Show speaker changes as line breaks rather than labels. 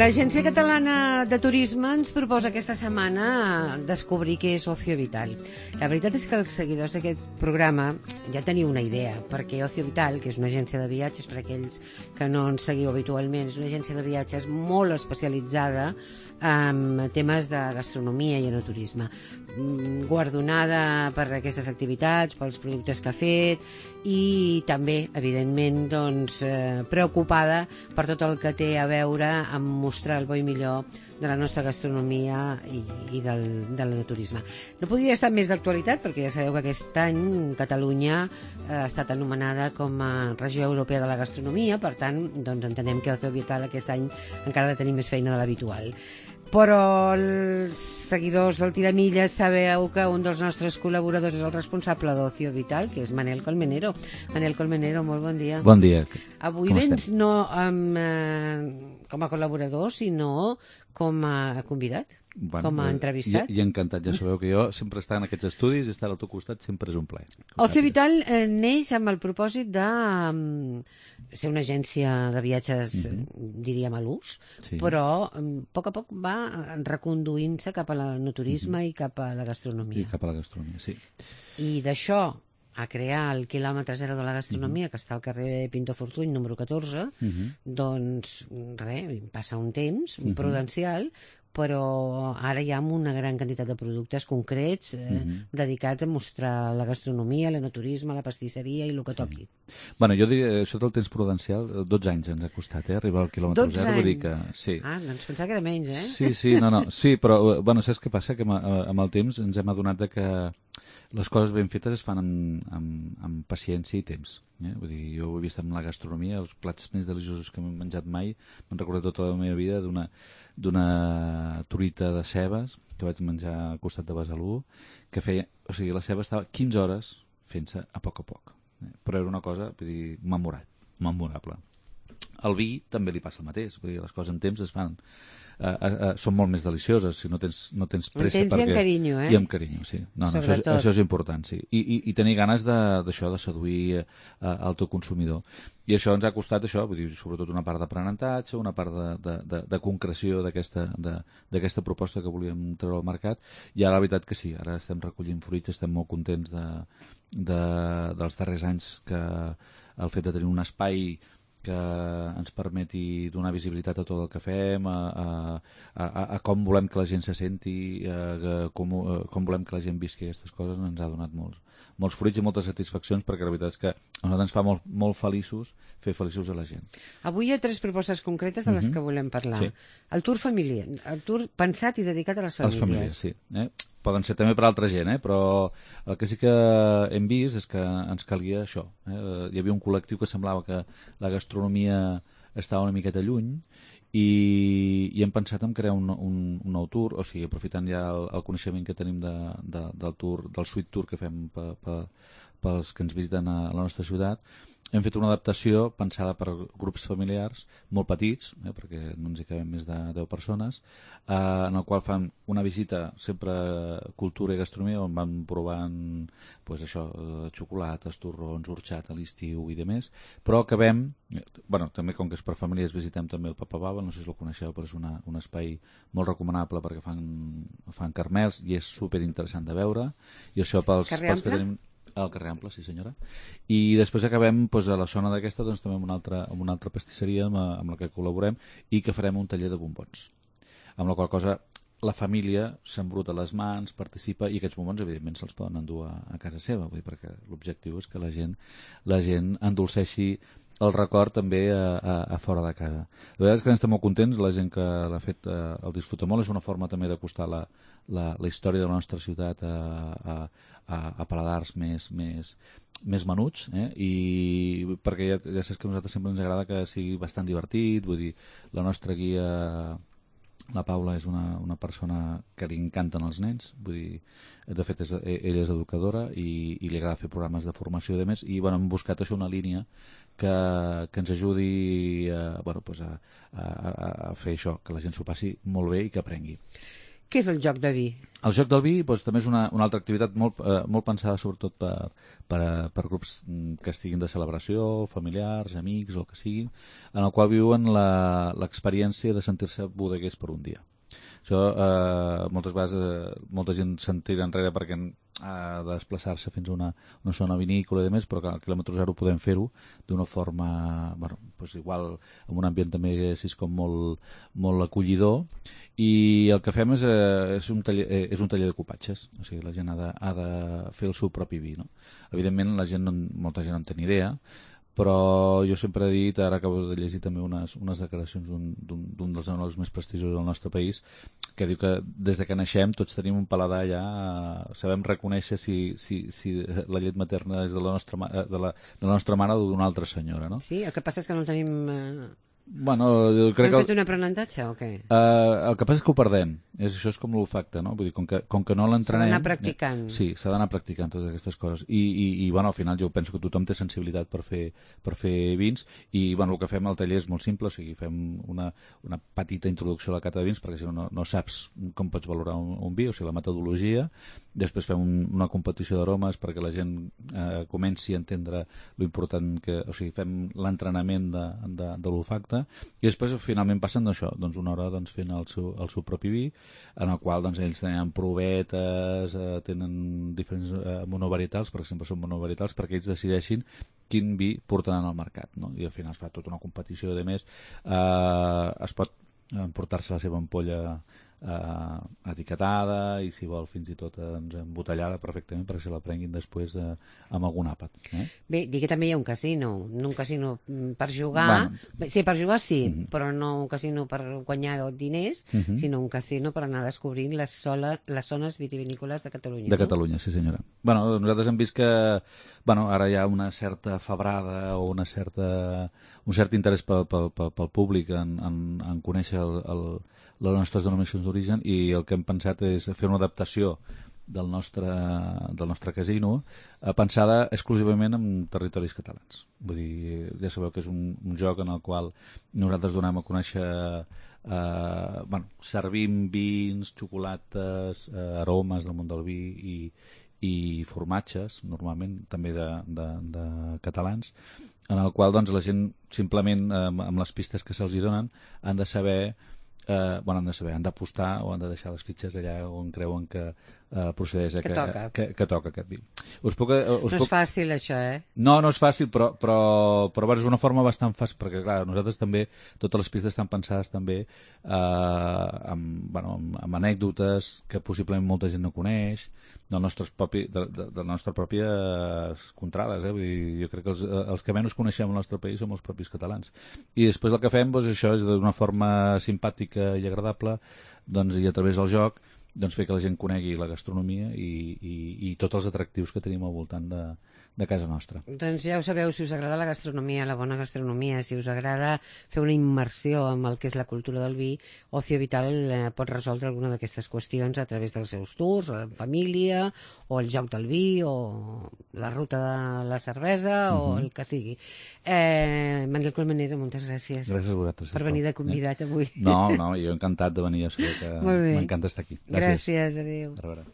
L'Agència Catalana de Turisme ens proposa aquesta setmana descobrir què és Ocio Vital. La veritat és que els seguidors d'aquest programa ja teniu una idea, perquè Ocio Vital, que és una agència de viatges, per aquells que no ens seguiu habitualment, és una agència de viatges molt especialitzada en temes de gastronomia i enoturisme, guardonada per aquestes activitats, pels productes que ha fet i també, evidentment, preocupada per tot el que té a veure amb mostrar el bo i millor de la nostra gastronomia i de l'enoturisme. No podria estar més d'actualitat perquè ja sabeu que aquest any Catalunya ha estat anomenada com a regió europea de la gastronomia, per tant, entenem que Ocio Vital aquest any encara ha de tenir més feina de l'habitual. Però els seguidors del Tiramilles sabeu que un dels nostres col·laboradors és el responsable d'Ocio Vital, que és Manel Colmenero. Manel Colmenero, molt bon dia.
Bon dia.
Avui vens no com a col·laborador, sinó com a convidat, com a entrevistat.
I encantat, ja sabeu que jo sempre estar en aquests estudis i estar al teu costat sempre és un plaer.
Ocio Vital neix amb el propòsit de ser una agència de viatges, diríem, a l'ús, però a poc va reconduint-se cap a l'enoturisme i cap a la gastronomia.
I cap a la gastronomia, sí.
I d'això a crear el quilòmetre zero de la gastronomia, que està al carrer Pinto Fortuny, número 14, doncs, passa un temps prudencial, però ara hi ha una gran quantitat de productes concrets dedicats a mostrar la gastronomia, l'enoturisme, la pastisseria i el que toqui.
Bueno, jo diria, això del temps prudencial, 12 anys ens ha costat, arribar al quilòmetre 0.
12 anys?
Que, sí.
Ah, doncs pensava que era menys,
Sí, sí, però, bueno, saps què passa? Que amb el temps ens hem adonat que les coses ben fetes es fan amb paciència i temps. Vull dir, jo ho he vist amb la gastronomia, els plats més deliciosos que m'he menjat mai, m'han recordat tota la meva vida d'una truita de cebes que vaig menjar al costat de Besalú, que feia, o sigui, la ceba estava 15 hores fent-se a poc, però era una cosa, vull dir, memorable. Al vi també li passa el mateix, vull dir, les coses en temps es fan, són molt més delicioses si no tens pressa.
En temps i amb carinyo,
I amb carinyo, sí. Això és important, sí. I tenir ganes d'això, de seduir el teu consumidor. I això ens ha costat això, vull dir, sobretot una part d'aprenentatge, una part de concreció d'aquesta proposta que volíem treure al mercat, i ara la veritat que sí, ara estem recollint fruits, estem molt contents dels darrers anys, que el fet de tenir un espai que ens permeti donar visibilitat a tot el que fem, a com volem que la gent se senti, com volem que la gent visqui aquestes coses, ens ha donat molts fruits i moltes satisfaccions, perquè la veritat és que a nosaltres ens fa molt feliços fer feliços a la gent.
Avui hi ha 3 propostes concretes de les que volem parlar. Sí. El tour familiar, el tour pensat i dedicat a les famílies.
A les famílies, sí. Poden ser també per altra gent, però el que sí que hem vist és que ens calia això. Hi havia un col·lectiu que semblava que la gastronomia estava una miqueta lluny i hem pensat en crear un nou tour, o sigui, aprofitant ja el coneixement que tenim del tour, del suite tour que fem pels que ens visiten a la nostra ciutat. Hem fet una adaptació pensada per grups familiars molt petits, perquè no ens hi cabem més de 10 persones, en el qual fan una visita sempre cultura i gastronomia, on van provant xocolates, torrons, orxat a l'estiu i demés, però acabem, també com que és per famílies, visitem també el Papa Baba, no sé si el coneixeu, però és un espai molt recomanable perquè fan carmels i és superinteressant de veure, i això pels que tenim al carrer Ample, sí senyora. I després acabem a la zona d'aquesta també amb una altra pastisseria amb la que col·laborem i que farem un taller de bombons. Amb la qual cosa la família s'embruta les mans, participa, i aquests bombons evidentment se'ls poden endur a casa seva, vull dir, perquè l'objectiu és que la gent endolceixi el record també a fora de casa. La veritat és que estem molt contents, la gent que l'ha fet el disfruta molt, és una forma també d'acostar la història de la nostra ciutat a paladars més menuts, i perquè ja saps que a nosaltres sempre ens agrada que sigui bastant divertit, vull dir, la nostra guia, la Paula, és una persona que li encanten els nens, vull dir, de fet ella és educadora i li agrada fer programes de formació i demés, i hem buscat això, una línia que ens ajudi a fer això, que la gent s'ho passi molt bé i que aprengui.
Què és el joc de vi?
El joc del vi doncs, també és una altra activitat molt pensada sobretot per grups que estiguin de celebració, familiars, amics o el que siguin, en el qual viuen l'experiència de sentir-se bodeguers per un dia. Això moltes vegades molta gent se'n tira enrere perquè ha de desplaçar-se fins a una zona vinícola i demés, però que al quilòmetre zero podem fer-ho d'una forma, bueno, doncs igual amb un ambient també així com molt acollidor, i el que fem és un taller de copatges, o sigui, la gent ha de fer el seu propi vi, no? Evidentment molta gent no en té ni idea, però jo sempre he dit, ara acabo de llegir també unes declaracions d'un dels enòlegs més prestigiosos del nostre país, que diu que des que naixem tots tenim un paladar ja, sabem reconèixer si la llet materna és de la nostra mare o d'una altra senyora, no?
Sí, el que passa és que no tenim...
Bueno, jo crec
Hem fet un aprenentatge o què?
El que passa és que ho perdem. Això és com l'olfacte, no? Vull dir, com que no l'entrenem...
S'ha d'anar practicant.
Sí, s'ha d'anar practicant totes aquestes coses. I bueno, al final jo penso que tothom té sensibilitat per fer vins, i bueno, el que fem al taller és molt simple, o sigui, fem una petita introducció a la cata de vins, perquè si no saps com pots valorar un vi, o sigui, la metodologia. Després fem una competició d'aromes perquè la gent comenci a entendre l'important que... O sigui, fem l'entrenament de l'olfacte, i després finalment passen d'això, doncs una hora fent el seu propi vi, en el qual ells tenen provetes, tenen diferents monovarietals, perquè sempre són monovarietals, perquè ells decideixin quin vi portaran al mercat, no? I al final es fa tota una competició de més, es pot emportar-se la seva ampolla etiquetada i si vol fins i tot embotellada perfectament perquè se la prenguin després amb algun àpat.
Bé, digui que també hi ha un casino per jugar, bueno, sí, per jugar sí, però no un casino per guanyar diners, sinó un casino per anar descobrint les zones vitivinícoles de Catalunya.
De Catalunya, sí senyora. Bueno, nosaltres hem vist que ara hi ha una certa febrada o un cert interès pel públic en conèixer les nostres denominacions d'origen, i el que hem pensat és fer una adaptació del nostre casino pensada exclusivament en territoris catalans. Vull dir, ja sabeu que és un joc en el qual nosaltres donem a conèixer, servim vins, xocolates, aromes del món del vi i formatges, normalment també de catalans, en el qual la gent simplement amb les pistes que se'ls donen han de saber, han d'apostar o han de deixar les fitxes allà on creuen que procedeix que toca aquest vi. No
és fàcil això,
No és fàcil, però és una forma bastant fàcil, perquè clar, nosaltres també, totes les pistes estan pensades també amb anècdotes que possiblement molta gent no coneix, de les nostres pròpies contrades. Vull dir, jo crec que els que menys coneixem al nostre país som els propis catalans. I després el que fem això és d'una forma simpàtica i agradable, i a través del joc fer que la gent conegui la gastronomia i tots els atractius que tenim al voltant de casa nostra.
Doncs ja ho sabeu, si us agrada la gastronomia, la bona gastronomia, si us agrada fer una immersió amb el que és la cultura del vi, Ocio Vital pot resoldre alguna d'aquestes qüestions a través dels seus tours, en família, o el joc del vi, o la ruta de la cervesa, o el que sigui. Manel Colmenero, moltes gràcies.
Gràcies a vosaltres.
Per venir de convidat avui.
No, jo encantat de venir, jo sé que m'encanta estar aquí.
Gràcies, adéu.
A veure.